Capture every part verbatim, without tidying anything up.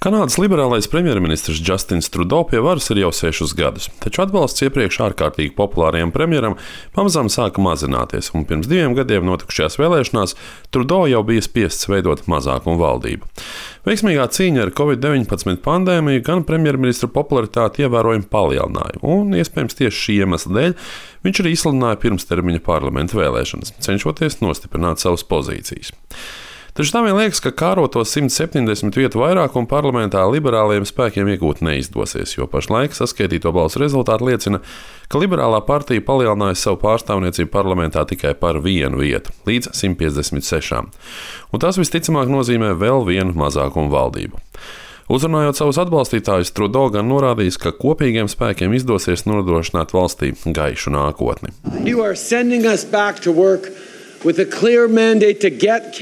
Kanādas liberālais premjerministrs Justins Trudeau pie varas ir jau sešus gadus, taču atbalsts iepriekš ārkārtīgi populārajam premjeram pamazām sāka mazināties, un pirms diviem gadiem notikušajās vēlēšanās Trudeau jau bija spiests veidot mazākumu valdību. Veiksmīgā cīņa ar covid deviņpadsmit pandēmiju gan premjerministra popularitāti ievērojami palielināja, un iespējams tieši šī iemesla dēļ viņš arī izsludināja pirmstermiņa parlamenta vēlēšanas, cenšoties nostiprināt savas pozīcijas. Taču tā vien liekas, ka kāroto simt septiņdesmit vietu vairākumu parlamentā liberālajiem spēkiem iegūt neizdosies, jo pašlaik saskaitīto balsu rezultāti liecina, ka liberālā partija palielināja savu pārstāvniecību parlamentā tikai par vienu vietu, līdz simt piecdesmit sešām. Un tas visticamāk nozīmē vēl vienu mazākumu valdību. Uzrunājot savus atbalstītājus, Trudeau gan norādījis, ka kopīgiem spēkiem izdosies nodrošināt valstī gaišu nākotni.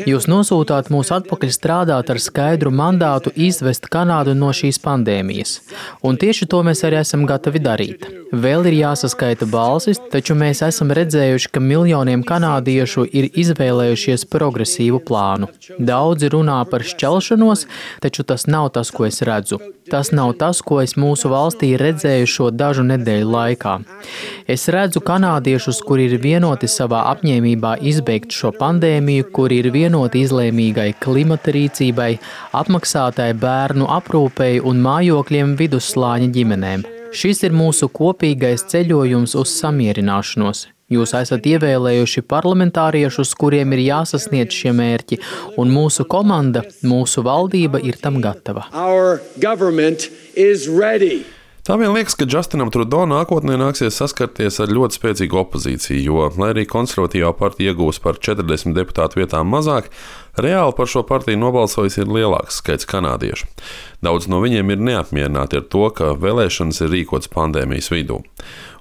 Jūs nosūtāt mūs atpakaļ strādāt ar skaidru mandātu izvest Kanādu no šīs pandēmijas, un tieši to mēs arī esam gatavi darīt. Vēl ir jāsaskaita balsis, taču mēs esam redzējuši, ka miljoniem kanādiešu ir izvēlējušies progresīvu plānu. Daudzi runā par šķelšanos, taču tas nav tas, ko es redzu. Tas nav tas, ko es mūsu valstī redzēju šo dažu nedēļu laikā. Es redzu kanādiešus, kuri ir vienoti savā apņēmībā izbeigt šo pandēmiju, kuri ir vienoti izlēmīgai klimata rīcībai, apmaksātai bērnu aprūpei un mājokļiem vidusslāņa ģimenēm. Šis ir mūsu kopīgais ceļojums uz samierināšanos. Jūs esat ievēlējuši parlamentāriešus, kuriem ir jāsasniedz šie mērķi, un mūsu komanda, mūsu valdība ir tam gatava. Tā vien liekas, ka Justinam Trudeau nākotnē nāksies saskarties ar ļoti spēcīgu opozīciju, jo, lai arī konservatīvā partija iegūs par četrdesmit deputātu vietām mazāk, reāli par šo partiju nobalsojis ir lielāks skaits kanādiešu. Daudz no viņiem ir neapmierināti ar to, ka vēlēšanas ir rīkotas pandēmijas vidū.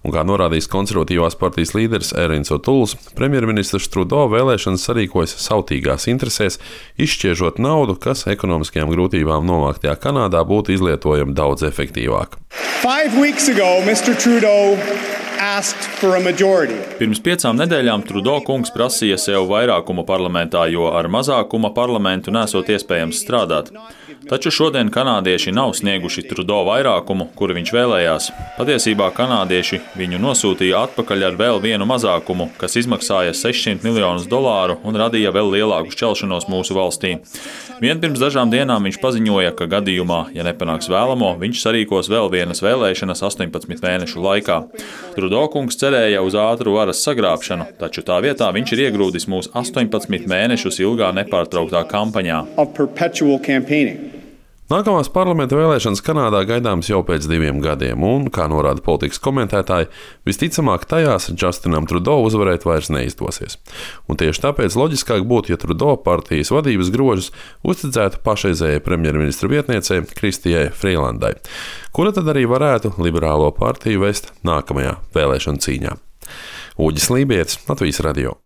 Un kā norādījis konservatīvās partijas līderis Ērins Otuls, premjerministrs Trudeau vēlēšanas sarīkojas sautīgās interesēs, izšķiežot naudu, kas ekonomiskajām grūtībām novāktajā Kanādā būtu izlietojama daudz efektīvāk. Five weeks ago, mister Trudeau asked for a majority. Pirms piecām nedēļām Trudeau kungs prasīja sev vairākumu parlamentā, jo ar mazākuma parlamentu nesot iespējams strādāt. Taču šodien kanādieši nav snieguši Trudeau vairākumu, kuru viņš vēlējās. Patiesībā kanādieši viņu nosūtīja atpakaļ ar vēl vienu mazākumu, kas izmaksāja sešsimt miljonus dolāru un radīja vēl lielāku šķelšanos mūsu valstī. Vien pirms dažām dienām viņš paziņoja, ka gadījumā, ja nepanāks vēlamo, viņš sarīkos vēl vienas vēlēšanas astoņpadsmit mēnešu laikā. Trudeau kungs cerēja uz ātru varas sagrābšanu, taču tā vietā viņš ir iegrūdis mūs astoņpadsmit mēnešus ilgā nepārtrauktā kampaņā. Nākamās parlamenta vēlēšanas Kanādā gaidāmas jau pēc diviem gadiem, un, kā norāda politikas komentētāji, visticamāk tajās Justinam Trudeau uzvarēt vairs neizdosies. Un tieši tāpēc loģiskāk būtu, ja Trudeau partijas vadības grožus uzticētu pašreizējai premjerministra vietniecei Kristijai Frīlandai, kura tad arī varētu liberālo partiju vest nākamajā vēlēšanu cīņā. Uģis Lībietis, Latvijas radio.